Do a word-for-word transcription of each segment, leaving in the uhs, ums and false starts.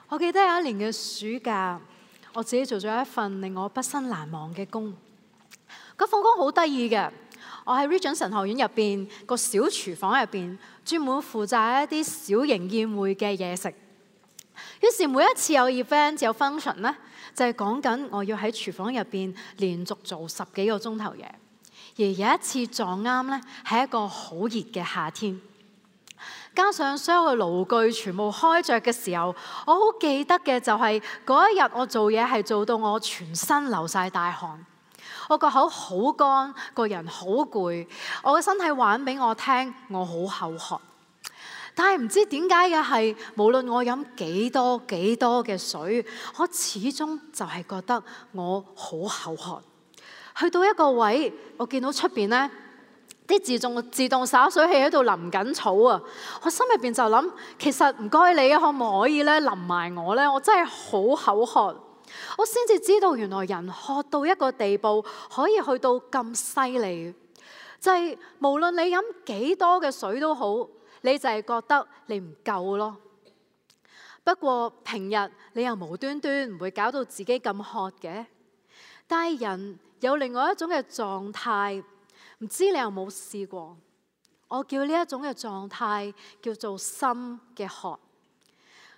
我記得有一年嘅暑假，我自己做咗一份令我畢生難忘嘅工。嗰份工好得意嘅，我喺 Regent 神學院入邊個小廚房入邊，專門負責一啲小型宴會嘅嘢食。於是每一次有 event 有 function 咧，就係講緊我要喺廚房入邊連續做十幾個鐘頭嘢。而有一次撞啱咧，係一個好熱嘅夏天。加上所有嘅爐具全部開着嘅時候，我好記得嘅就係嗰一日我做嘢係做到我全身流晒大汗，我個口好乾，個人好攰，我嘅身體話俾我聽我好口渴。但係唔知點解嘅係，無論我飲幾多幾多嘅水，我始終就係覺得我好口渴。去到一個位，我見到出邊呢啲自動自動灑水器喺度淋緊草啊！我心入邊就諗，其實唔該你可唔可以咧淋埋我咧？我真係好口渴。我先至知道原來人渴到一個地步，可以去到咁犀利，就係無論你飲幾多嘅水都好，你就係覺得你唔夠咯。不過平日你又無端端唔會搞到自己咁渴嘅，但係人有另外一種嘅狀態。唔知你有冇試過？我叫呢一種嘅狀態叫做心嘅渴。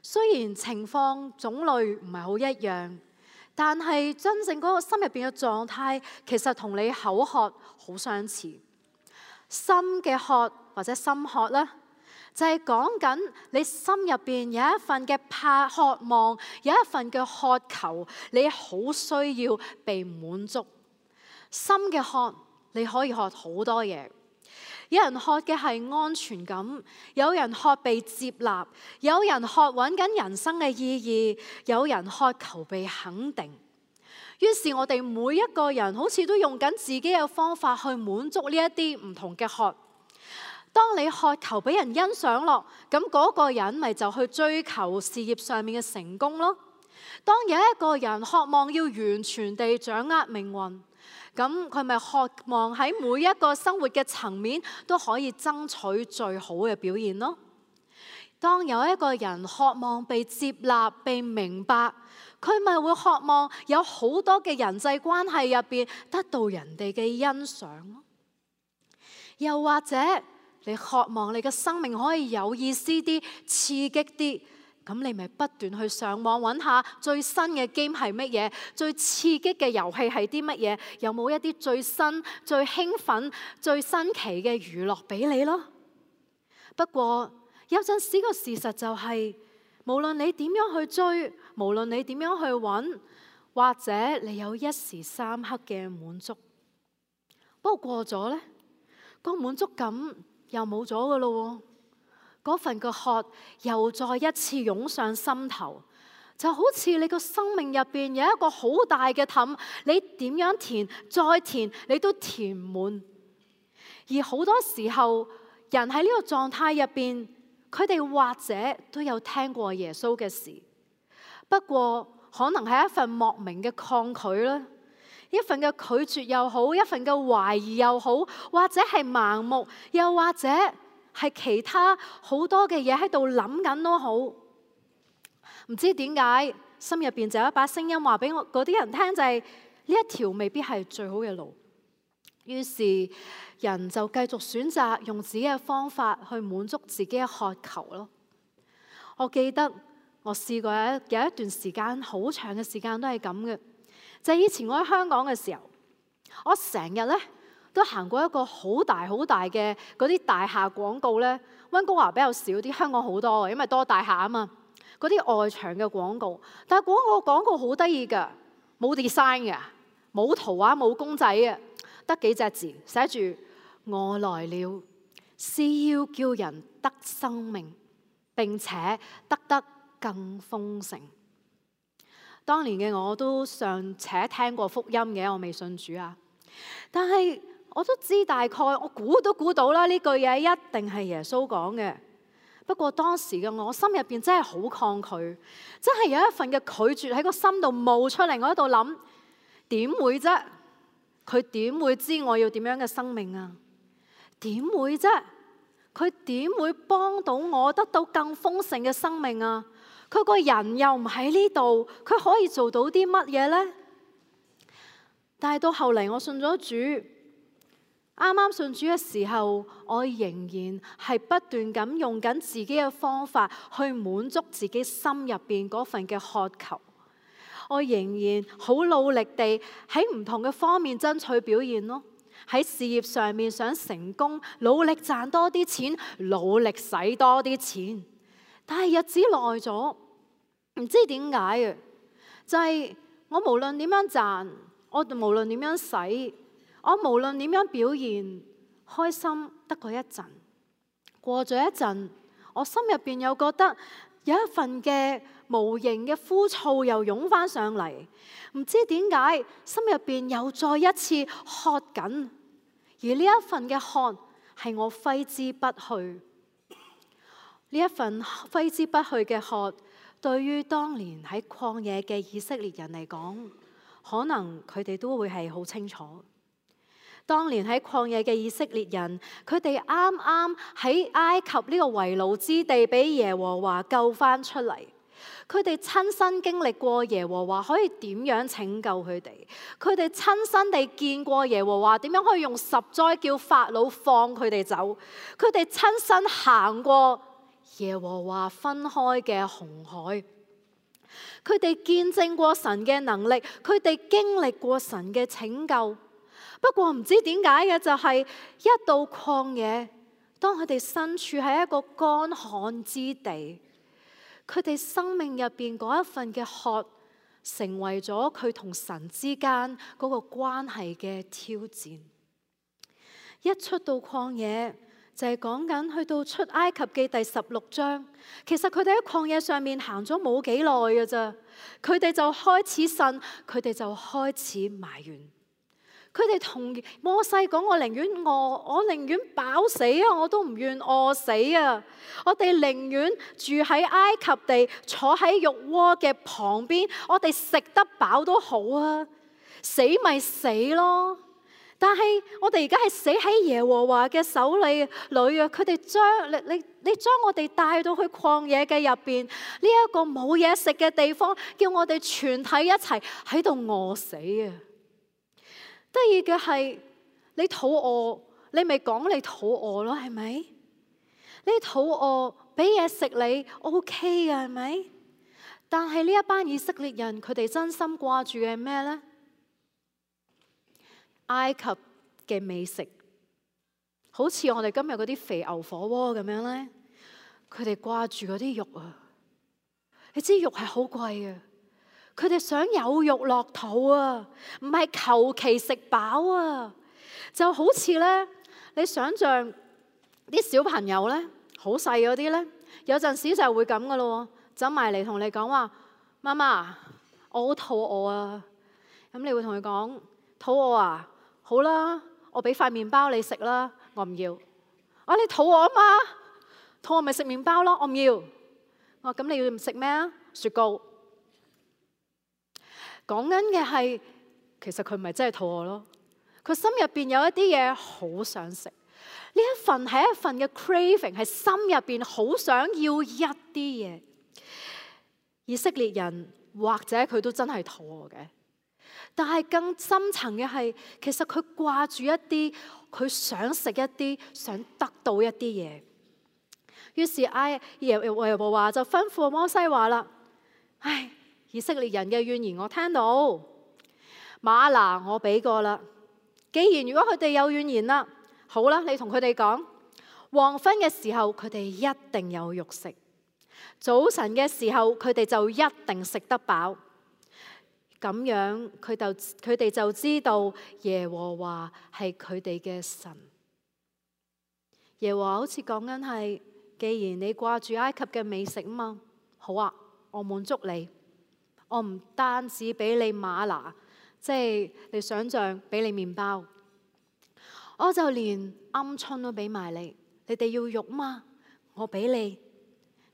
雖然情況種類唔係好一樣，但係真正嗰個心入邊嘅狀態，其實同你口渴好相似。心嘅渴或者心渴咧，就係講緊你心入邊有一份嘅怕渴望，有一份嘅渴求，你好需要被滿足。心嘅渴。你可以渴好多嘢，有人渴嘅係安全感，有人渴被接納，有人渴揾緊人生嘅意義，有人渴求被肯定。於是我哋每一個人好似都用緊自己嘅方法去滿足呢一啲唔同嘅渴。當你渴求俾人欣賞咯，咁嗰個人咪就去追求事業上面嘅成功咯。當有一個人渴望要完全地掌握命運，咁佢咪渴望喺每一個生活嘅層面都可以爭取最好嘅表現咯。當有一個人渴望被接納、被明白，佢咪會渴望有好多嘅人際關係入邊得到人哋嘅欣賞咯。又或者你渴望你嘅生命可以有意思啲、刺激啲。咁你咪不斷去上網揾下最新嘅 game 係乜嘢，最刺激嘅遊戲係啲乜嘢，有冇一啲最新、最興奮、最新奇嘅娛樂俾你咯？不過有陣時個事實就係，無論你點樣去追，無論你點樣去揾，或者你有一時三刻嘅滿足，不過過咗呢，個滿足感又冇咗噶咯。嗰份嘅渴又再一次湧上心頭，就好似你個生命入邊有一個好大嘅氹，你點樣填再填你都填唔滿。而好多時候人喺呢個狀態入邊，佢哋或者都有聽過耶穌嘅事，不過可能係一份莫名嘅抗拒啦，一份嘅拒絕又好，一份嘅懷疑又好，或者係盲目，又或者係其他好多嘅嘢喺度諗緊都好，唔知點解心入邊就有一把聲音話俾我嗰啲人聽，就係呢一條未必係最好嘅路。於是人就繼續選擇用自己嘅方法去滿足自己嘅渴求咯。我記得我試過有一有一段時間，好長嘅時間都係咁嘅，就係以前我喺香港嘅時候，我成日咧都行過一個好大好大嘅嗰啲大廈廣告咧，溫哥華比較少啲，香港好多嘅，因為多大廈啊嘛。嗰啲外牆嘅廣告，但係廣告廣告好得意㗎，冇 design 嘅，冇圖畫，冇公仔嘅，得幾隻字，寫住我來了，是要叫人得生命，並且得得更豐盛。當年嘅我都尚且聽過福音嘅，我未信主啊，但係我都知大概，我估都估到啦，呢句嘢一定係耶穌講嘅。不過當時嘅我心入邊真係好抗拒，真係有一份嘅拒絕喺個心度冒出嚟。我喺度諗，點會啫？佢點會知我要點樣嘅生命啊？點會啫？佢點會幫到我得到更豐盛嘅生命啊？佢個人又唔喺呢度，佢可以做到啲乜嘢呢？但係到後嚟我信咗主，啱啱信主嘅時候，我仍然係不斷咁用緊自己嘅方法去滿足自己心入邊嗰份嘅渴求。我仍然好努力地喺唔同嘅方面爭取表現咯，喺事業上面想成功，努力賺多啲錢，努力使多啲錢。但係日子耐咗，唔知點解嘅，就係我無論點樣賺，我無論點樣使，我無論點樣表現，開心得過一陣，過咗一陣，我心入邊又覺得有一份嘅無形嘅枯燥又湧翻上嚟，唔知點解心入邊又再一次渴緊，而呢一份嘅渴係我揮之不去。呢一份揮之不去嘅渴，對於當年喺曠野嘅以色列人嚟講，可能佢哋都會係好清楚。當年喺曠野嘅以色列人，佢哋啱啱喺埃及呢個為奴之地，俾耶和華救翻出嚟。佢哋親身經歷過耶和華可以點樣拯救佢哋，佢哋親身地見過耶和華點樣可以用十災叫法老放佢哋走，佢哋親身行過耶和華分開嘅紅海，佢哋見證過神嘅能力，佢哋經歷過神嘅拯救。不過唔知點解嘅就係、是、一到曠野，當佢哋身處喺一個乾旱之地，佢哋生命入邊嗰一份嘅渴，成為咗佢同神之間嗰個關係嘅挑戰。一出到曠野，就係講緊去到出埃及記第十六章，其實佢哋喺曠野上面行咗冇幾耐嘅咋，佢哋就開始呻，佢哋就開始埋怨。佢哋同摩西講：我寧願餓，我寧願飽死啊，我都唔願餓死啊！我哋寧願住喺埃及地，坐喺肉鍋嘅旁邊，我哋食得飽都好啊，死咪死咯！但係我哋而家係死喺耶和華嘅手裏裏啊！佢哋將你你你將我哋帶到去曠野嘅入邊，呢一個冇嘢食嘅地方，叫我哋全體一齊喺度餓死啊！得意嘅係，你肚餓，你咪講你肚餓咯，係咪？你肚餓，俾嘢食你 OK 嘅，係咪？但係呢一班以色列人，佢哋真心掛住嘅係咩呢？埃及嘅美食，好似我哋今日嗰啲肥牛火鍋咁樣呢，佢哋掛住嗰啲肉啊！你知肉係好貴嘅。佢哋想有肉落肚啊，唔係求其食飽啊。就好似咧，你想象啲小朋友咧，好細嗰啲咧，有陣時就係會咁噶咯，走埋嚟同你講話：媽媽，我好肚餓啊。咁你會同佢講：肚餓啊？好啦，我俾塊麵包你食啦。我唔要。啊，你肚餓啊嘛？肚餓咪食麵包咯。我唔要。我話咁你要食咩啊？雪糕。講緊嘅係，其實佢唔係真係肚餓咯，佢心入邊有一啲嘢好想食，呢一份係一份嘅 craving， 係心入邊好想要一啲嘢。以色列人或者佢都真係肚餓嘅，但係更深層嘅係，其實佢掛住一啲，佢想食一啲，想得到一啲嘢。於是埃耶和華就吩咐摩西話啦：唉，以色列人嘅怨言我聽到，嗎哪我俾過啦。既然如果佢哋有怨言啦，好啦，你同佢哋講，黃昏嘅時候佢哋一定有肉食，早晨嘅時候佢哋就一定食得飽。咁樣佢就佢哋就知道耶和華係佢哋嘅神。耶和華好似講緊係，既然你掛住埃及嘅美食啊嘛，好啊，我滿足你。我唔單止俾你嗎哪，即係你想象俾你麵包，我就連鵪鶉都俾埋你。你哋要肉嘛？我俾你，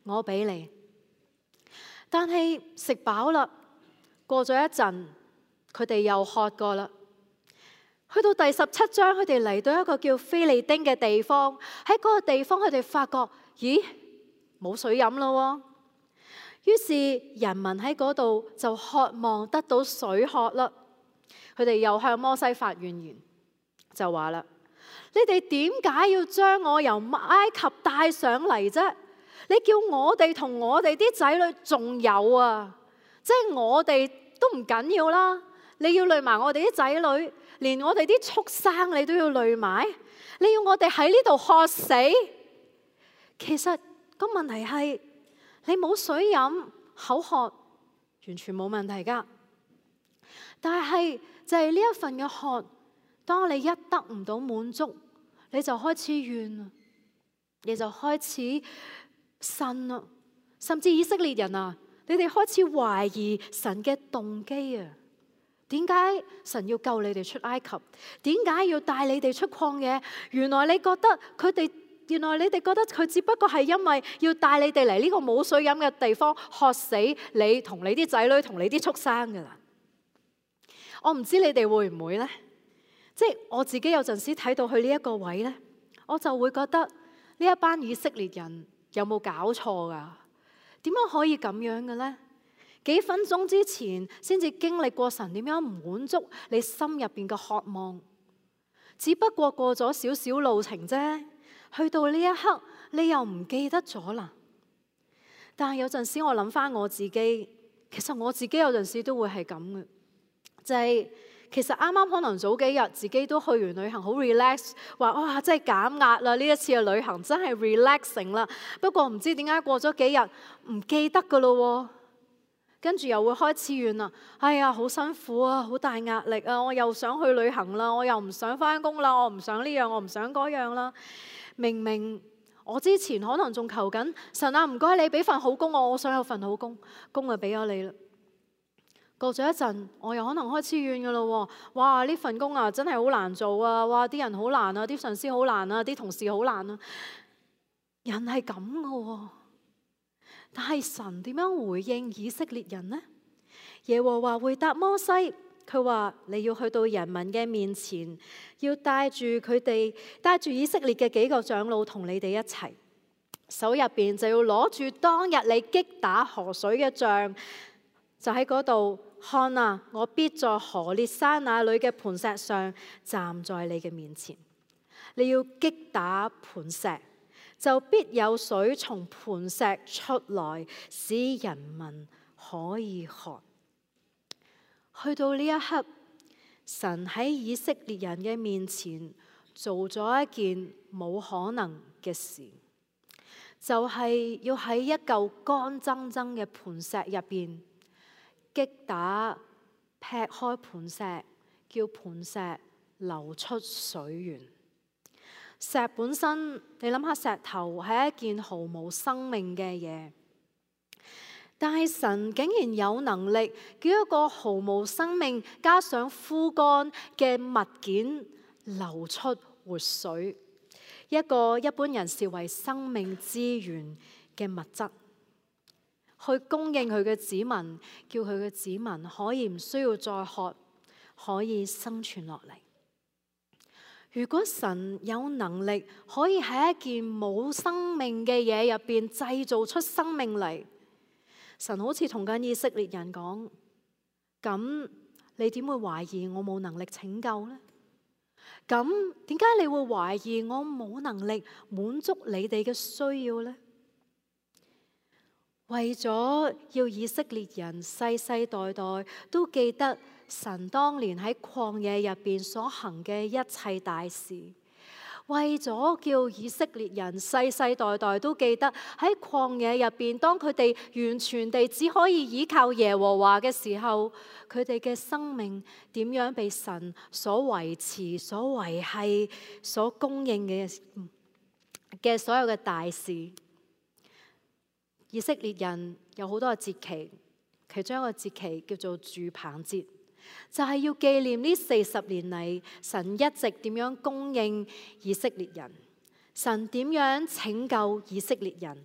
我俾你。但係食飽啦，過咗一陣，佢哋又渴過啦。去到第十七章，佢哋嚟到一個叫非利丁嘅地方，喺嗰個地方佢哋發覺，咦，冇水飲咯。於是人民喺嗰度就渴望得到水喝啦。佢哋又向摩西發怨言，就話啦：你哋點解要將我由埃及帶上嚟啫？你叫我哋同我哋啲仔女仲有啊，即係我哋都唔緊要啦，你要累埋我哋啲仔女，連我哋啲畜生你都要累埋，你要我哋喺呢度渴死？其實個問題係你冇水飲，口渴完全冇問題噶，但係就係呢一份嘅渴，當你一得唔到滿足，你就開始怨啊，你就開始呻啦，甚至以色列人啊，你哋開始懷疑神嘅動機啊。點解神要救你哋出埃及？點解要帶你哋出曠野？原來你覺得佢哋，原來你哋覺得佢只不過係因為要帶你哋嚟呢個冇水飲嘅地方，渴死你同你啲仔女同你啲畜生噶啦。我唔知你哋會唔會呢？即係我自己有陣時睇到去呢一個位呢，我就會覺得呢一班以色列人有冇搞錯噶？點樣可以咁樣嘅呢？幾分鐘之前先至經歷過神點樣滿足你心入邊嘅渴望，只不過過咗少少路程啫，去到呢一刻你又唔記得咗啦。但係有陣時我諗翻我自己，其實我自己有陣時都會係咁嘅，就係其實啱啱可能早幾日自己都去完旅行，好 relax， 話哇真係減壓啦，呢一次嘅旅行真係 relaxing 啦。不過唔知點解過咗幾日唔記得噶咯，跟住又會開始怨啦。哎呀，好辛苦啊，好大壓力啊，我又想去旅行啦，我又唔想翻工啦，我唔想呢樣，我唔想嗰樣啦。明明我之前可能仲求緊神啊，唔該你俾份好工我，我想有份好工，工就俾咗你啦。過咗一陣，我又可能開始怨噶啦。哇，呢份工啊真係好難做啊！哇，啲人好難啊，啲上司好難啊，啲同事好難啊。人係咁噶，但係神點樣回應以色列人呢？耶和華回答摩西，佢話你要去到人民嘅面前，要帶住佢哋，帶住以色列嘅幾個長老同你哋一齊，手入邊就要攞住當日你擊打河水嘅杖，就喺嗰度看啊！我必在何烈山那裏嘅磐石上站在你嘅面前。你要擊打磐石，就必有水從磐石出來，使人民可以喝。去到呢一刻，神喺以色列人嘅面前做咗一件冇可能嘅事，就係要喺一嚿乾爭爭嘅磐石入邊擊打劈開磐石，叫磐石流出水源。石本身，你諗下，石頭係一件毫無生命嘅嘢，但係神竟然有能力叫一個毫無生命加上枯乾嘅物件流出活水，一個一般人視為生命資源嘅物質，去供應佢嘅子民，叫佢嘅子民可以唔需要再渴，可以生存落嚟。如果神有能力可以喺一件冇生命嘅嘢入邊製造出生命嚟，神好似同緊以色列人講，咁你點會懷疑我冇能力拯救呢？咁點解你會懷疑我冇能力滿足你哋嘅需要呢？為咗要以色列人世世代代都記得神當年喺曠野入邊所行嘅一切大事，為咗叫以色列人世世代代都記得喺曠野入邊，當佢哋完全地只可以依靠耶和華嘅時候，佢哋嘅生命點樣被神所維持、所維繫、所供應嘅嘅所有嘅大事。以色列人有好多個節期，其中一個節期叫做住棚節，就係要紀念呢四十年嚟神一直點樣供應以色列人，神點樣拯救以色列人。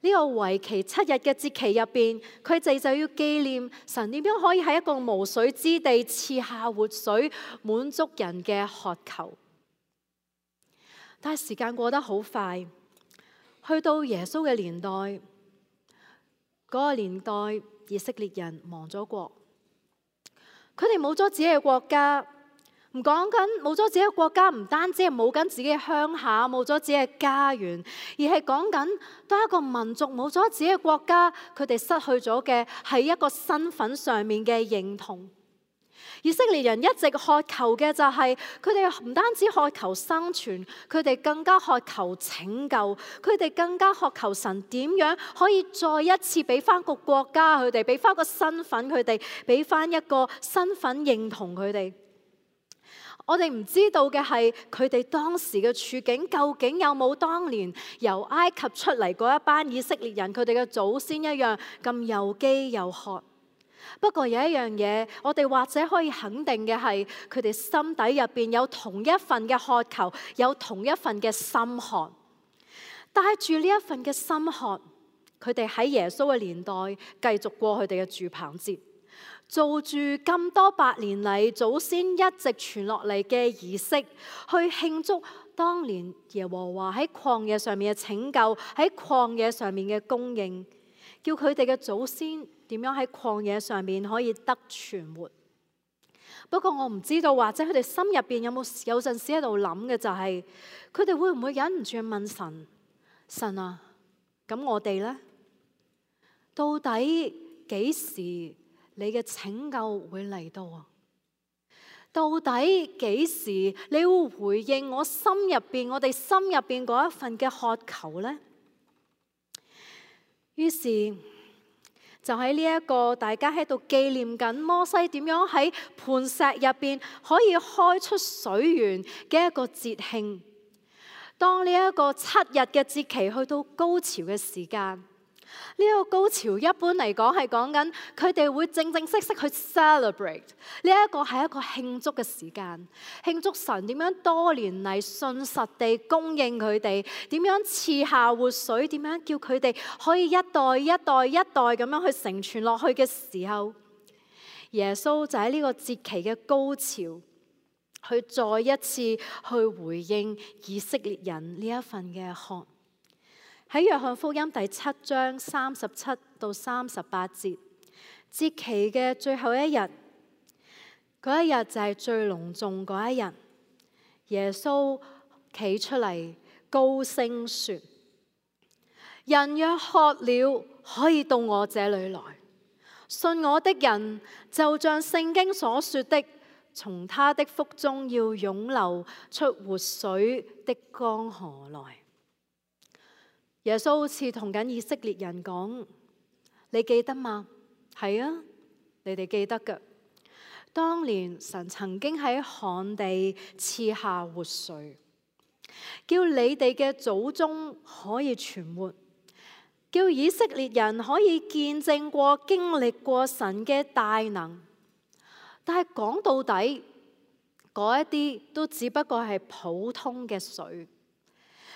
呢個為期七日嘅節期入邊，佢哋就要紀念神點樣可以喺一個無水之地賜下活水，滿足人嘅渴求。但係時間過得好快，去到耶穌嘅年代，個年代以色列人亡咗國，佢哋冇咗自己嘅國家。唔講緊冇咗自己嘅國家，唔單止係冇緊自己嘅鄉下，冇咗自己嘅家園，而係講緊當一個民族冇咗自己嘅國家，佢哋失去咗嘅係一個身份上面嘅認同。以色列人一直渴求嘅就係佢哋唔單止渴求生存，佢哋更加渴求拯救，佢哋更加渴求神點樣可以再一次俾翻個國家佢哋，俾翻個身份佢哋，俾翻一個身份認同佢哋。我哋唔知道嘅係佢哋當時嘅處境究竟有冇當年由埃及出嚟嗰一班以色列人佢哋嘅祖先一樣咁又飢又渴。不過有一樣嘢，我哋或者可以肯定嘅係，佢哋心底入邊有同一份嘅渴求，有同一份嘅心渴。帶住呢一份嘅心渴，佢哋喺耶穌嘅年代繼續過佢哋嘅住棚節。做住咁多百年嚟祖先一直傳落嚟嘅儀式，去慶祝當年耶和華喺曠野上面嘅拯救，喺曠野上面嘅供應，叫佢哋嘅祖先點樣喺曠野上面可以得存活。不過我唔知道，或者佢哋心入邊有冇有陣時喺度諗嘅就係，佢哋會唔會忍唔住去問神：神啊，咁我哋呢？到底幾時你嘅拯救會嚟到啊？到底幾時你會回應我心入邊，我哋心入邊嗰一份嘅渴求呢？於是就喺呢一個大家喺度紀念緊摩西點樣喺磐石入邊可以開出水源嘅一個節慶，當呢一個七日嘅節期去到高潮嘅時間。呢個高潮一般嚟講係講緊佢哋會正正式式去 celebrate， 呢一個係一個慶祝嘅時間，慶祝神點樣多年嚟信實地供應佢哋，點樣賜下活水，點樣叫佢哋可以一代一代一代咁樣去承傳落去嘅時候，耶穌就喺呢個節期嘅高潮，去再一次去回應以色列人呢一份嘅渴。喺約翰福音第七章三十七到三十八節，節期嘅最後一日，嗰一日就係最隆重嗰一日。耶穌企出嚟高聲說：人若渴了，可以到我這裏來，信我的人就像聖經所說的，從他的腹中要湧流出活水的江河來。耶穌好似同緊以色列人講：你記得嗎？係啊，你哋記得㗎。當年神曾經喺旱地賜下活水，叫你哋嘅祖宗可以存活，叫以色列人可以見證過、經歷過神嘅大能。但係講到底，嗰一啲都只不過係普通嘅水。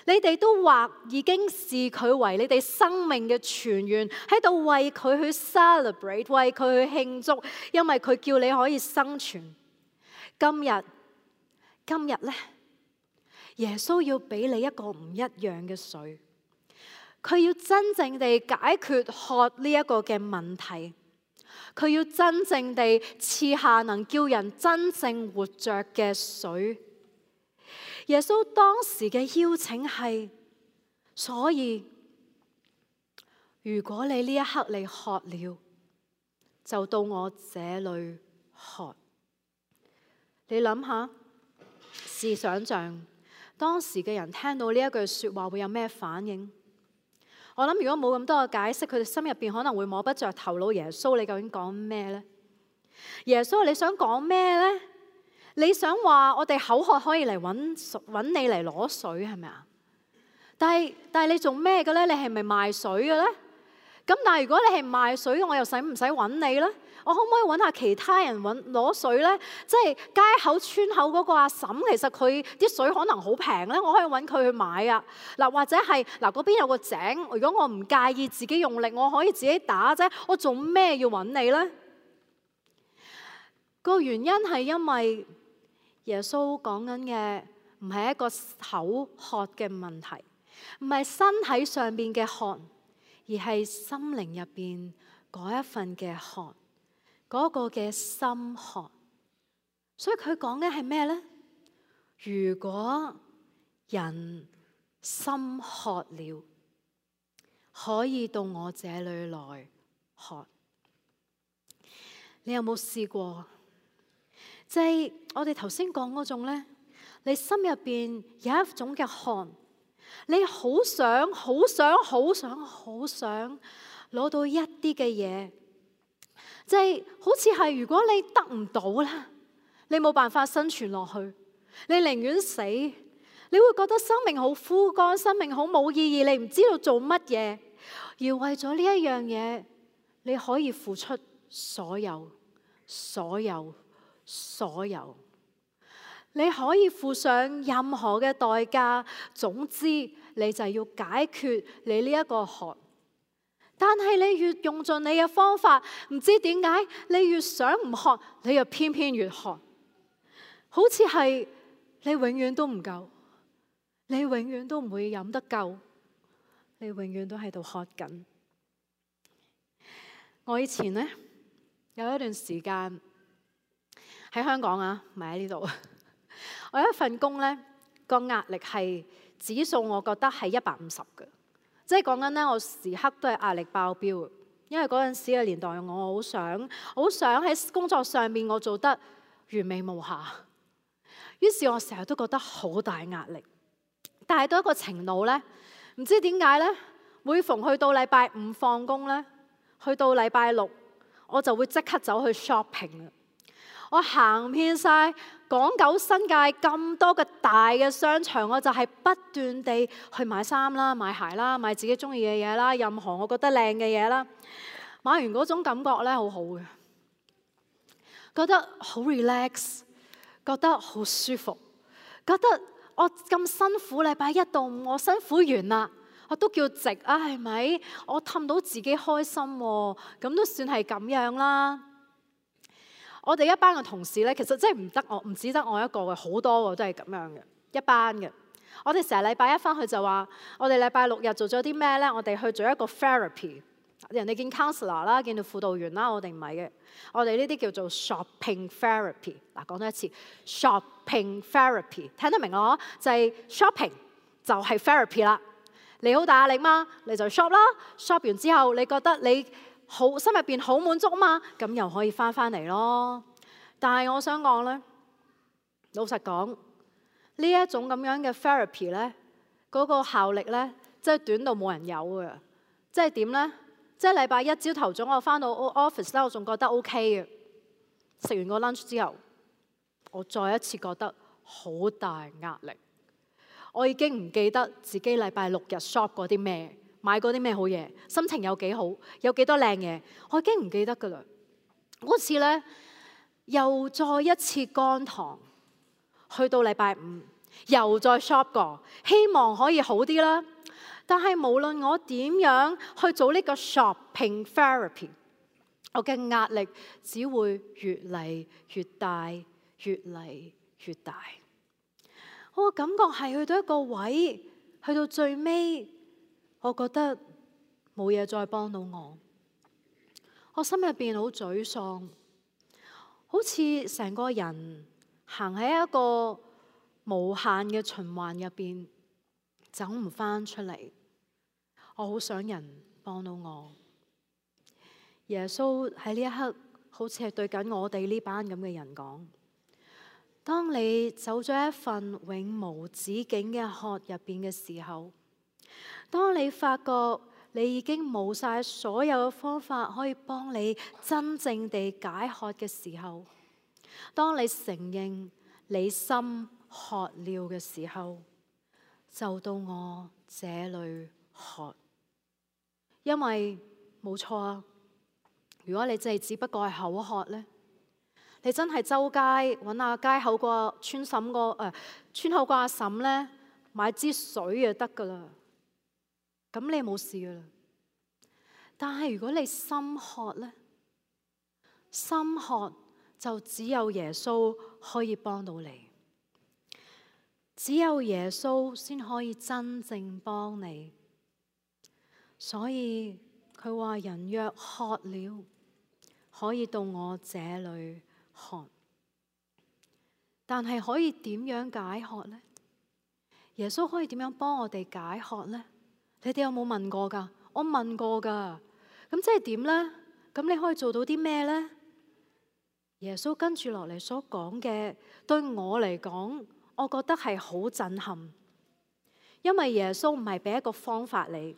你哋都或已經視佢為你哋生命嘅泉源，喺度為佢去 celebrate， 為佢去慶祝，因為佢叫你可以生存。今日，今日呢，耶穌要俾你一個唔一樣嘅水，佢要真正地解決渴呢一個嘅問題，佢要真正地賜下能叫人真正活着嘅水。耶穌當時嘅邀請係，所以如果你呢一刻你渴了，就到我這裏喝。你諗下，試想像當時嘅人聽到呢一句說話會有咩反應？我諗如果冇咁多嘅解釋，佢哋心入邊可能會摸不着頭腦。耶穌，你究竟講咩呢？耶穌，你想講咩呢？你想話我哋口渴可以嚟揾揾你嚟攞水係咪啊？但係但係你做咩嘅咧？你係咪賣水嘅咧？咁但係如果你係賣水，我又使唔使揾你咧？我可唔可以揾下其他人揾攞水咧？即係街口村口嗰個阿嬸，其實佢啲水可能好平咧，我可以揾佢去買啊。嗱，或者係嗱嗰邊有個井，如果我唔介意自己用力，我可以自己打啫。我做咩要揾你咧？個原因係因為耶穌講緊嘅唔係一個口渴嘅問題，唔係身體上邊嘅渴，而係心靈入邊嗰一份嘅渴，嗰個嘅心渴。所以佢講嘅係咩呢？如果人心渴了，可以到我這裏來喝。你有冇試過？即係我哋頭先講嗰種呢，你心入邊有一種嘅渴，你好想、好想、好想、好想攞到一啲嘅嘢，即係好似係如果你得唔到咧，你冇辦法生存落去，你寧願死，你會覺得生命好枯乾，生命好冇意義，你唔知道做乜嘢，而為咗呢一樣嘢，你可以付出所有、所有、所有，你可以付上任何嘅代價，總之你就係要解決你呢一個渴。但係你越用盡你嘅方法，唔知點解你越想唔渴，你又偏偏越渴。好似係你永遠都唔夠，你永遠都唔會飲得夠，你永遠都喺度渴緊。我以前呢，有一段時間喺香港啊，唔係喺呢度。我有一份工呢，個壓力係指數，我覺得係一百五十嘅，即係講緊呢，我時刻都係壓力爆標。因為嗰陣時嘅年代，我好想，好想喺工作上面我做得完美無瑕。於是我成日都覺得好大壓力，但係到一個程度呢，唔知點解呢，每逢去到禮拜五放工呢，去到禮拜六，我就會即刻走去 shopping。我行遍晒港九新界咁多嘅大嘅商場，我就係不斷地去買衫啦、買鞋啦、買自己中意嘅嘢啦，任何我覺得靚嘅嘢啦。買完嗰種感覺呢，好好嘅，覺得好 relax。覺得好舒服，覺得我咁辛苦，禮拜一到五我辛苦完啦，我都叫值啊，係咪？我氹到自己開心喎，咁都算係咁樣啦。我哋一班嘅同事呢，其實真係唔得我，唔止得我一個嘅，好多都係咁樣嘅，一班嘅。我哋成日禮拜一返去就話，我哋禮拜六日做咗啲咩呢？我哋去做一個 therapy。人哋見 counselor 啦，見到輔導員啦，我哋唔係嘅，我哋呢啲叫做 shopping therapy。嗱，講多一次 shopping therapy， 聽得明咯？就係 shopping 就係 therapy 啦。你好大壓力嘛，你就 shop 啦。shop 完之後，你覺得你好心入邊好滿足嘛，咁又可以翻返嚟咯。但係我想講咧，老實講，呢一種咁樣嘅 therapy 咧，嗰個效力咧，真係短到冇人有嘅。即係點咧？即係禮拜一朝頭早我翻到 office 咧，我仲覺得 OK 嘅。食完個 lunch 之後，我再一次覺得好大壓力。我已經唔記得自己禮拜六日 shop 過啲咩，買過啲咩好嘢，心情有幾好，有幾多靚嘢，我已經唔記得噶啦。嗰次咧，又再一次乾堂，去到禮拜五又再 shop 過，希望可以好啲啦。但係無論我點樣去做呢個 shopping therapy， 我嘅壓力只會越嚟越大，越嚟越大。我感覺係去到一個位，去到最尾，我覺得冇嘢再幫到我。我心入邊好沮喪，好似成個人行喺一個無限嘅循環入邊，走唔返出嚟。我好想人幫到我。耶穌喺呢一刻好似係對緊我哋呢班咁嘅人講：當你走咗一份永無止境嘅渴入邊嘅時候，當你發覺你已經冇晒所有嘅方法可以幫你真正地解渴嘅時候，當你承認你心渴了嘅時候，就到我這裏渴。因為冇錯啊，如果你真係只不過係口渴呢，你真係周街揾下街口個村嬸個誒村口個阿嬸呢，買支水就得噶啦，咁你冇事噶啦。但係如果你心渴呢，心渴就只有耶穌可以幫到你，只有耶穌先可以真正幫你。所以佢話：人若渴了，可以到我這裏喝。但係可以點樣解渴呢？耶穌可以點樣幫我哋解渴呢？你哋有冇問過㗎？我問過㗎。咁即係點呢？咁你可以做到啲咩呢？耶穌跟住落嚟所講嘅，對我嚟講，我覺得係好震撼。因為耶穌唔係俾一個方法你，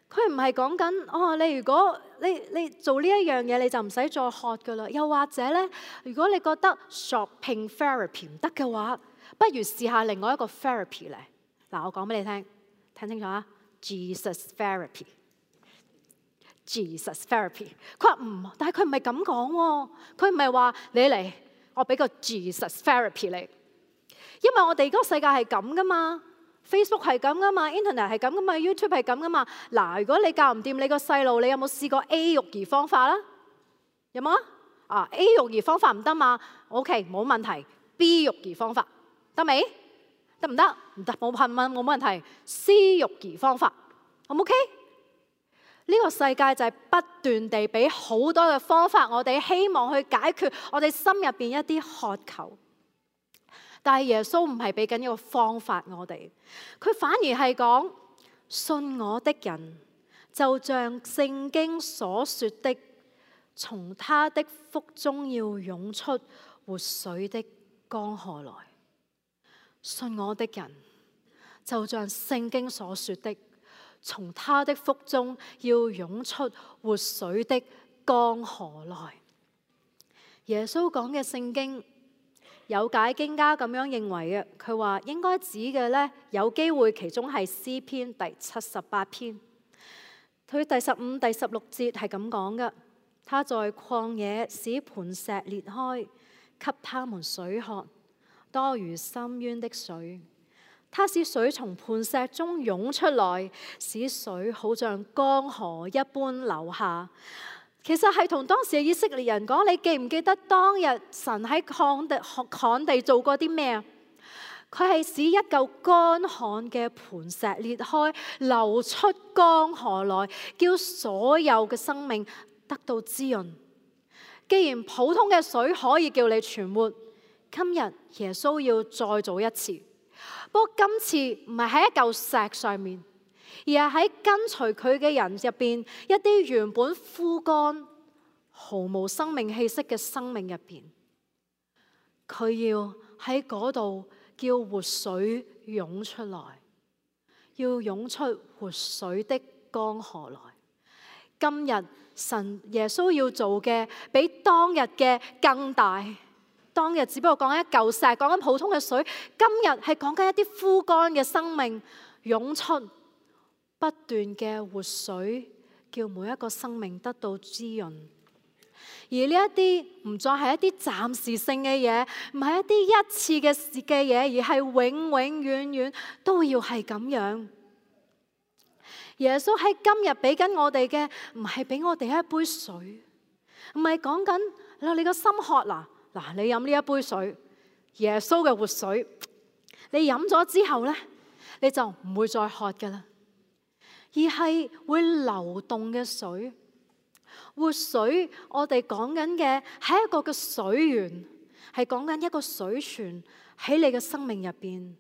佢唔係講緊哦，你如果你你做呢一樣嘢，你就唔使再渴噶啦。又或者呢，如果你覺得 shopping therapy 唔得嘅話，不如試下另外一個 therapy 咧。嗱，我講俾你聽，聽清楚啊 ，Jesus therapy，Jesus therapy。佢話唔，但係佢唔係咁講喎，佢唔係話你嚟，我俾個 Jesus therapy 你，因為我哋嗰個世界係咁噶嘛。Facebook 係咁噶嘛 ，Internet 係咁噶嘛 ，YouTube 係咁噶嘛。嗱，如果你教唔掂你個細路，你有冇試過 A 育兒方法啦？有冇啊？啊 A 育兒方法唔得嘛 ？OK， 冇問題。B 育兒方法得未？得唔得？唔得，冇問問冇問題。C 育兒方法 O 唔 OK？ 呢個世界就係不斷地俾好多嘅方法，我哋希望去解決我哋心入邊一啲渴求。但係耶穌唔係俾緊一個方法我哋，佢反而係講，信我的人就像聖經所說的，從他的腹中要湧出活水的江河來。信我的人就像聖經所說的，從他的腹中要湧出活水的江河來。耶穌講嘅聖經，有解經家咁樣認為嘅，佢話應該指嘅呢，有機會其中係詩篇第七十八篇，佢第十五、第十六節係咁講嘅。他在曠野使磐石裂開，給他們水喝，多如深淵的水。他使水從磐石中湧出來，使水好像江河一般流下。其實係同當時嘅以色列人講，你記唔記得當日神喺旱地旱地做過啲咩啊？佢係使一嚿乾旱嘅磐石裂開，流出江河來，叫所有嘅生命得到滋潤。既然普通嘅水可以叫你存活，今日耶穌要再做一次，不過今次唔係喺一嚿石上面，而係喺跟隨佢嘅人入邊，一啲原本枯乾、毫無生命氣息嘅生命入邊，佢要喺嗰度叫活水湧出來，要湧出活水的江河來。今日神耶穌要做嘅，比當日嘅更大。當日只不過講緊一嚿石，講緊普通嘅水，今日係講緊一啲枯乾嘅生命湧出不斷嘅活水，叫每一個生命得到滋潤。而呢一啲唔再係一啲暫時性嘅嘢，唔係一啲一次嘅事嘅嘢，而係永永遠遠都要係咁樣。耶穌喺今日俾緊我哋嘅，唔係俾我哋一杯水，唔係講緊嗱你個心渴啦，嗱你飲呢一杯水，耶穌嘅活水，你飲咗之後呢，你就唔會再渴噶啦，而係會流動嘅水。活水，我哋講緊嘅係一個嘅水源，係講緊一個水泉喺你嘅生命入邊，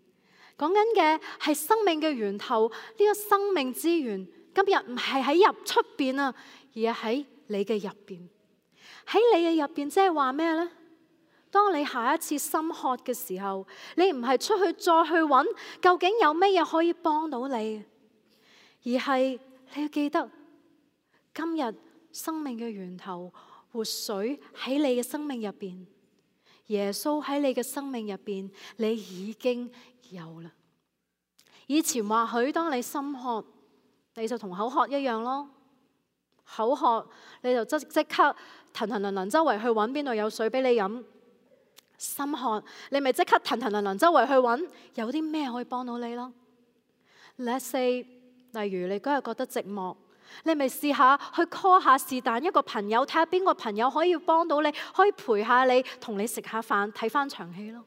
講緊嘅係生命嘅源頭。呢個生命之源今日唔係喺入出邊啊，而係喺你嘅入邊。喺你嘅入邊，即係話咩呢？當你下一次心渴嘅時候，你唔係出去再去揾究竟有咩嘢可以幫到你，而係你要記得今日生命嘅源頭活水喺你嘅生命入邊，耶穌喺你嘅生命入邊，你已經有啦。以前或許當你心渴，你就同口渴一樣咯。口渴你就即即刻騰騰騰騰周圍去揾邊度有水俾你飲。心渴你咪即刻騰騰騰騰周圍去揾有啲咩可以幫到你咯。Let's say 例如你嗰日覺得寂寞，你咪試下去 call 下是但一個朋友，睇下邊個朋友可以幫到你，可以陪下你，同你食下飯，睇翻場戲咯。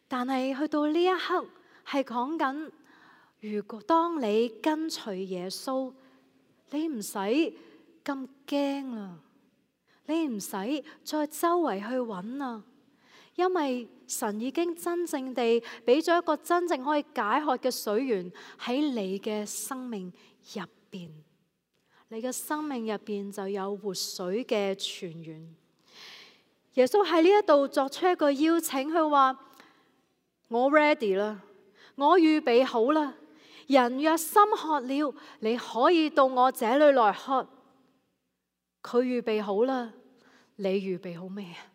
但係去到呢一刻係講緊，如果當你跟隨耶穌，你唔使咁驚啦，你唔使再周圍去揾啦，因為神已經真正地俾咗一個真正可以解渴嘅水源喺你嘅生命入邊，你嘅生命入邊就有活水嘅泉源。耶穌喺呢一度作出一個邀請，佢話：我 ready 啦，我預備好啦。人若心渴了，你可以到我這裏來喝。佢預備好啦，你預備好咩啊？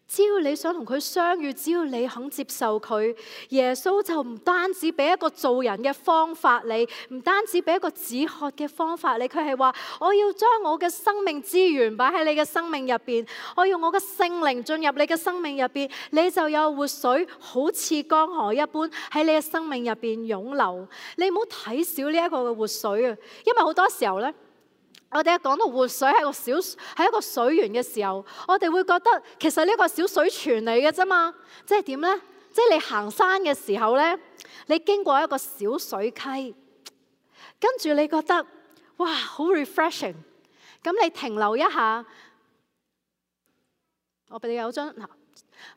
只要你想同佢相遇，只要你肯接受佢，耶穌就唔單止俾一個做人嘅方法你，唔單止俾一個止渴嘅方法你，佢係話我要將我嘅生命資源擺喺你嘅生命入邊，我要我嘅聖靈進入你嘅生命入邊，你就有活水，好似江河一般喺你嘅生命入邊湧流。你唔好睇少呢一個嘅活水啊，因為好多時候呢，我哋一講到活水係個小係一個水源嘅時候，我哋會覺得其實呢個小水泉嚟嘅啫嘛。即係點呢？即係你行山嘅時候呢，你經過一個小水溪，跟住你覺得哇好 refreshing， 咁你停留一下，我俾你有張，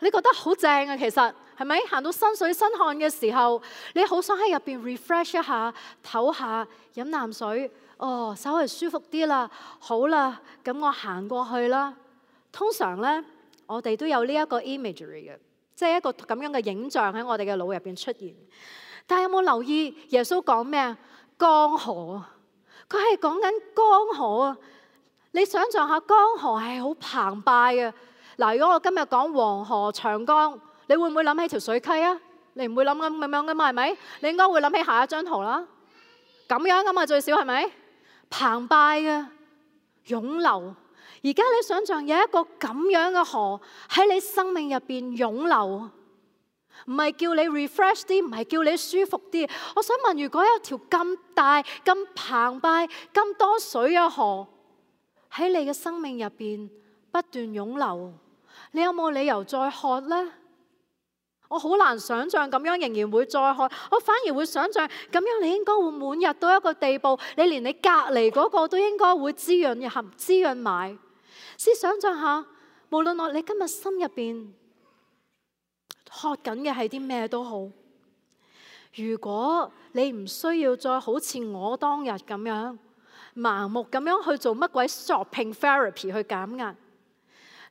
你覺得好正啊，其實係咪？行到身水身汗嘅時候，你好想喺入邊 refresh 一下，唞下，飲啖水。哦，稍微舒服啲啦，好啦，咁我行過去啦。通常呢，我哋都有呢一個 imagery 嘅，即係一個咁樣嘅影像喺我哋嘅腦入邊出現。但係有冇留意耶穌講咩啊？江河啊，佢係講緊江河啊。你想象下，江河係好澎湃嘅。嗱，如果我今日講黃河、長江，你會唔會諗起條水溪啊？你唔會諗咁咁樣噶嘛，係咪？你應該會諗起下一張圖啦。咁樣噶嘛，最少係咪？澎湃嘅湧流，而家你想象有一個咁樣嘅河喺你生命入邊湧流，唔係叫你 refresh 啲，唔係叫你舒服啲。我想問，如果有條咁大、咁澎湃、咁多水嘅河喺你嘅生命入邊不斷湧流，你有冇理由再渴呢？我好難想象咁樣仍然會再渴，我反而會想象咁樣你應該會滿溢到一個地步，你連你隔離嗰個都應該會滋潤合滋潤埋。試想象下，無論我你今日心入邊渴緊嘅係啲咩都好，如果你唔需要再好似我當日咁樣盲目咁樣去做乜鬼 shopping therapy 去減壓，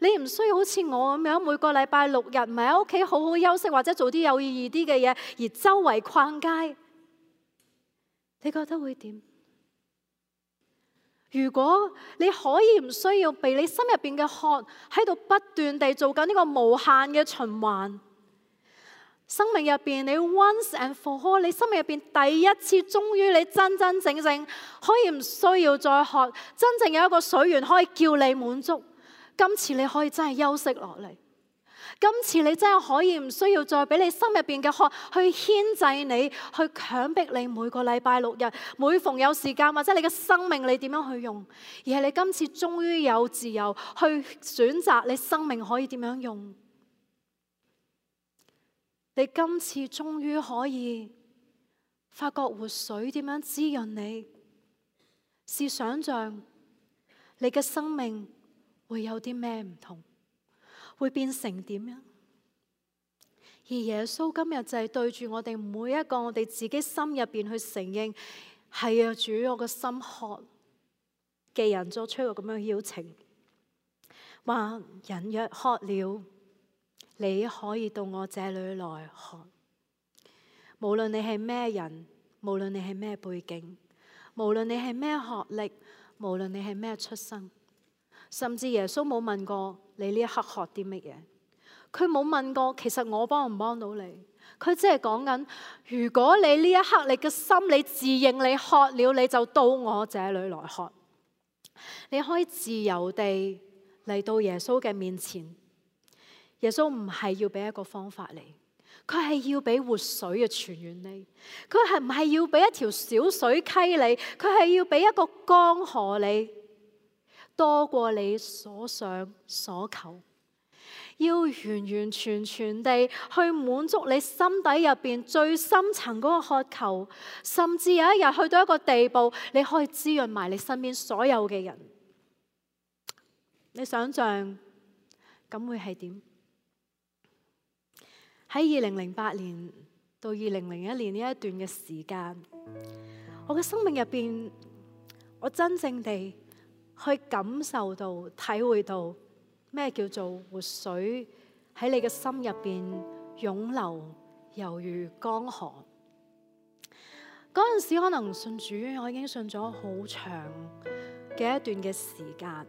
你唔需要好似我咁樣每個禮拜六日唔係喺屋企好好休息，或者做啲有意義啲嘅嘢，而周圍逛街，你覺得會點？如果你可以唔需要被你心入邊嘅渴喺度不斷地做緊呢個無限嘅循環，生命入邊你 once and for all， 你生命入邊第一次終於你真真正正可以唔需要再渴，真正有一個水源可以叫你滿足。今次你可以真係休息落嚟，今次你真係可以唔需要再俾你心入邊嘅渴去牽制你，去強迫你每個禮拜六日每逢有時間，或者你嘅生命你點樣去用，而係你今次終於有自由去選擇你生命可以點樣用。你今次終於可以發覺活水點樣滋潤你，試想像你嘅生命會有啲咩唔同，會變成點樣？而耶穌今日就係對住我哋每一個我哋自己心入邊去承認，係啊，主，我個心渴。既然作出一個咁樣嘅邀請，話人若渴了，你可以到我這裏來喝。無論你係咩人，無論你係咩背景，無論你係咩學歷，無論你係咩出身。甚至耶穌冇問過你呢一刻渴啲乜嘢，佢冇問過其實我幫唔幫到你，佢只係講緊，如果你呢一刻你嘅心你自認你渴了，你就到我這裏來喝。你可以自由地嚟到耶穌嘅面前，耶穌唔係要俾一個方法你，佢係要俾活水嘅泉源你，佢係唔係要俾一條小水溪你，佢係要俾一個江河你，多過你所想所求，要完完全全地去滿足你心底入邊最深層嗰個渴求，甚至有一日去到一個地步，你可以滋潤埋你身邊所有嘅人。你想象咁會係點？喺二零零八年到二零零一年呢一段嘅時間，我嘅生命入邊，我真正地去感受到、體會到咩叫做活水喺你嘅心入邊湧流，猶如江河。嗰陣時可能信主，我已經信咗好長嘅一段嘅時間。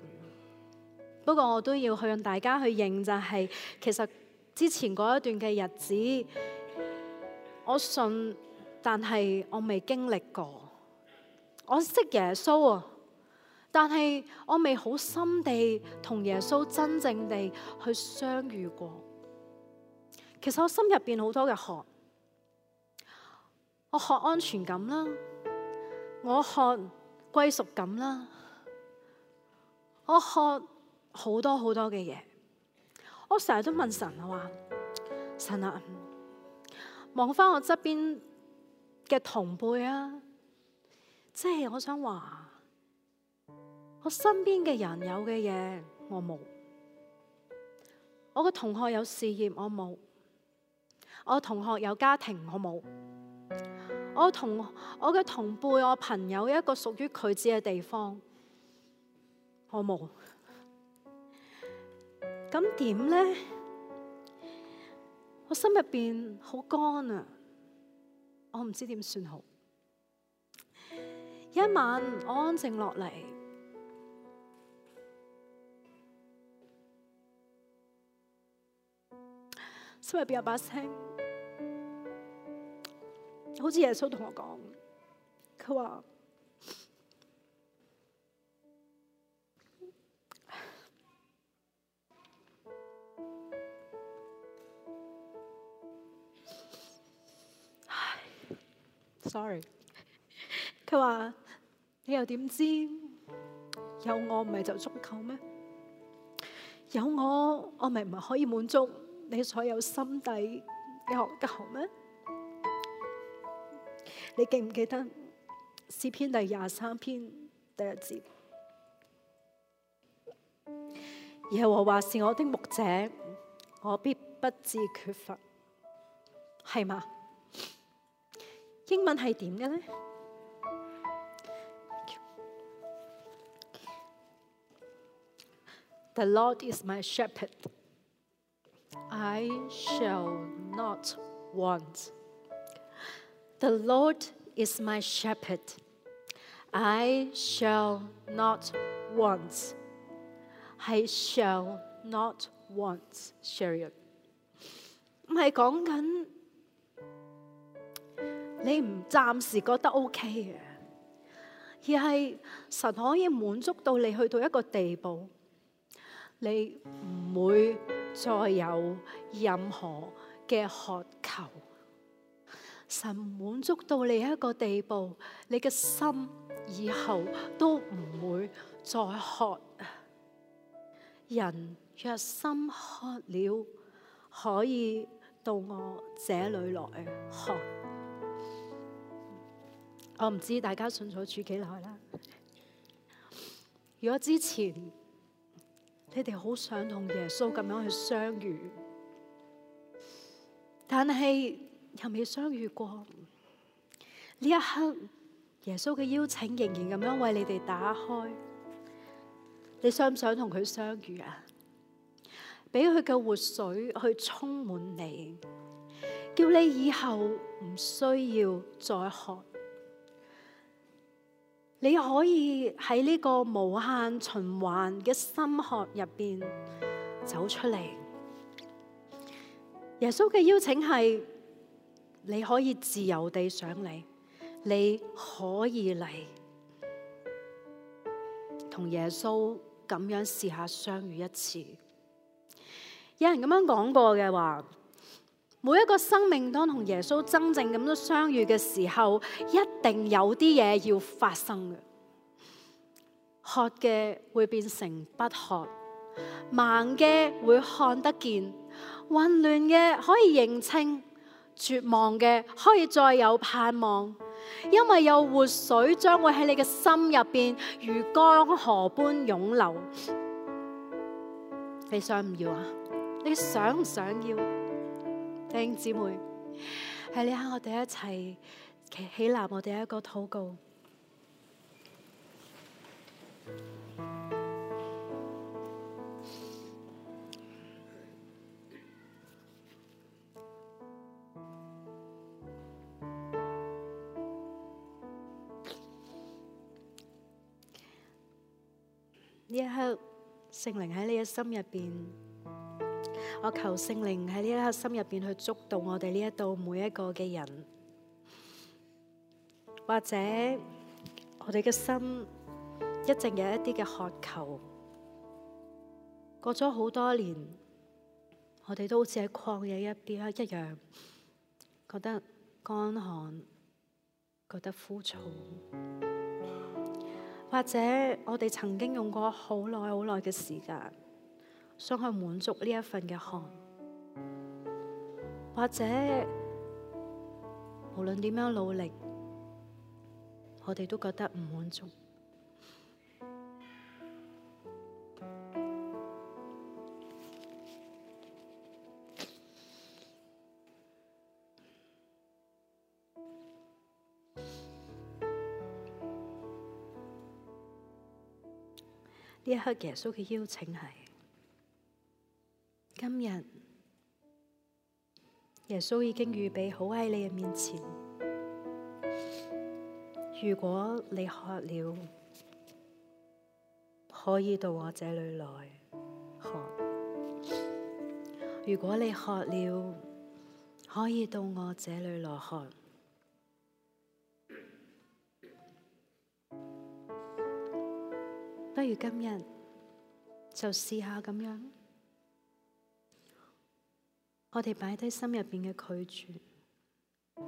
不過我都要去讓大家去認，就係其實之前嗰一段嘅日子，我信，但係我未經歷過。我識耶穌啊，但係我未好深地同耶穌真正地去相遇過。其實我心入邊好多嘅渴，我渴安全感啦，我渴歸屬感啦，我渴好多好多嘅嘢。我成日都問神啊，話神啊，望翻我側邊嘅同輩啊，即係我想話，我身邊嘅人有嘅嘢我冇，我嘅同學有事業我冇，我同學有家庭我冇，我同我嘅同輩我朋友有一個屬於佢自己嘅地方我冇。咁點呢？我心入邊好乾啊，我唔知點算好。一晚我安靜落嚟，心入邊有把聲，好似耶穌同我講，佢話，sorry， 佢話你又點知有我唔係就足夠咩？有我，我咪唔係可以滿足你所有心底嘅渴求咩？你記唔記得詩篇第廿三篇第一節？耶和華是我的牧者，我必不致缺乏，係嘛？英文係點嘅呢？The Lord is my shepherd, I shall not want. The Lord is my shepherd, I shall not want. 係 shall not want, Sharon。唔係講緊你唔暫時覺得 OK 嘅，而係神可以滿足到你去到一個地步，你唔會再有任何嘅渴求。神滿足到你一個地步，你嘅心以後都唔會再渴。人若心渴了，可以到我這裏來喝。我唔知大家信咗主幾耐啦。如果之前你哋好想同耶穌咁樣去相遇，但係又未相遇過，呢一刻耶穌嘅邀請仍然咁樣為你哋打開。你想唔想同佢相遇啊？俾佢嘅活水去充滿你，叫你以後唔需要再渴。你可以喺呢個無限循環嘅心渴入邊走出嚟。耶穌嘅邀請係你可以自由地上嚟，你可以嚟同耶穌咁樣試下相遇一次。有人咁樣講過嘅話，每一個生命當同耶穌真正咁樣相遇嘅時候，一定有啲嘢要發生嘅。渴嘅會變成不渴，盲嘅會看得見，混亂嘅可以認清，絕望嘅可以再有盼望，因為有活水將會喺你嘅心入邊如江河般湧流。你想唔要啊？你想唔想要？弟兄姊妹，喺呢刻我哋一齊起起立，我哋一個禱告。呢一刻，聖靈喺你嘅心入邊，我求聖靈喺呢一刻心入邊去觸動我哋呢一度每一個嘅人，或者我哋嘅心一直有一啲嘅渴求，過咗好多年，我哋都好似喺曠野一邊一樣，覺得乾旱，覺得枯燥。或者我哋曾經用過好耐好耐嘅時間，想去滿足呢一份嘅渴，或者無論點樣努力，我哋都覺得唔滿足。呢一刻耶穌嘅邀請係，今日耶穌已經預備好喺你嘅面前。如果你渴了，可以到我這裏來喝；如果你渴了，可以到我這裏來喝。不如今日就試下咁樣，我哋擺低心入邊嘅拒絕，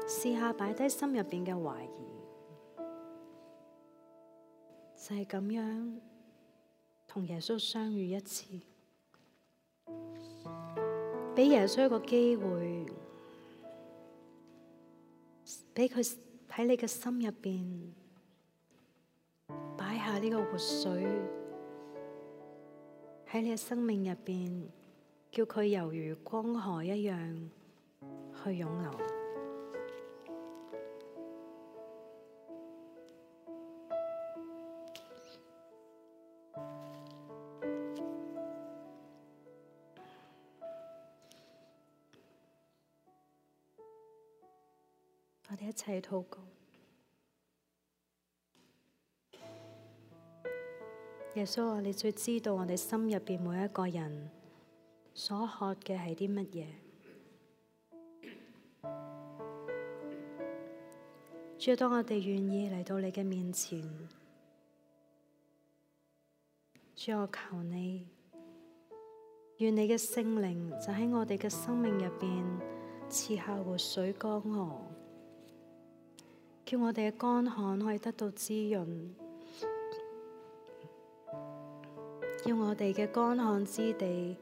試下擺低心入邊嘅懷疑，就係咁樣同耶穌相遇一次，俾耶穌一個機會，俾佢喺你嘅心入邊擺下呢個活水喺你嘅生命入邊，叫佢猶如江河一樣去湧流。我哋一齊禱告。耶穌啊，你最知道我哋心入邊每一個人所渴嘅係啲乜嘢？主啊，當我哋願意嚟到你嘅面前，主啊，我求你，願你嘅聖靈就喺我哋嘅生命入邊賜下活水江河，叫我哋嘅乾旱可以得到滋潤。叫我哋嘅乾旱之地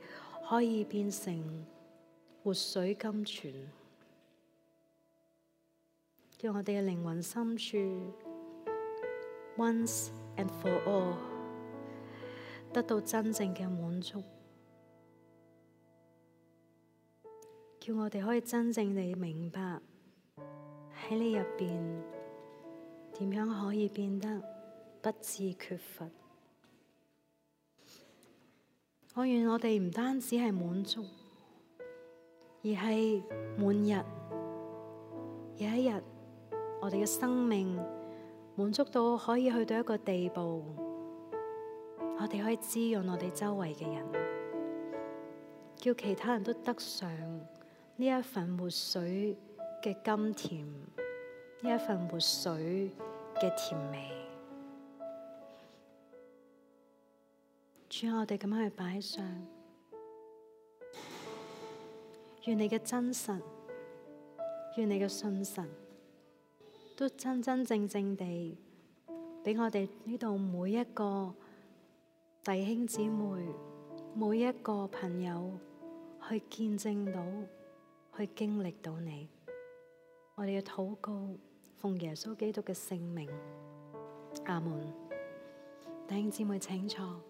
可以變成活水甘泉，叫我哋嘅靈魂深處 once and for all 得到真正嘅滿足，叫我哋可以真正地明白喺你入邊點樣可以變得不致缺乏。我願我哋唔單止係滿足，而係滿日。有一日，我哋嘅生命滿足到可以去到一個地步，我哋可以滋潤我哋周圍嘅人，叫其他人都得上呢一份活水嘅甘甜，呢一份活水嘅甜美。主，我哋咁樣去擺上，願你嘅真實，願你嘅信實，都真真正正地俾我哋呢度每一個弟兄姊妹，每一個朋友去見證到，去經歷到你。我哋嘅禱告，奉耶穌基督嘅聖名，阿門。弟兄姊妹請坐。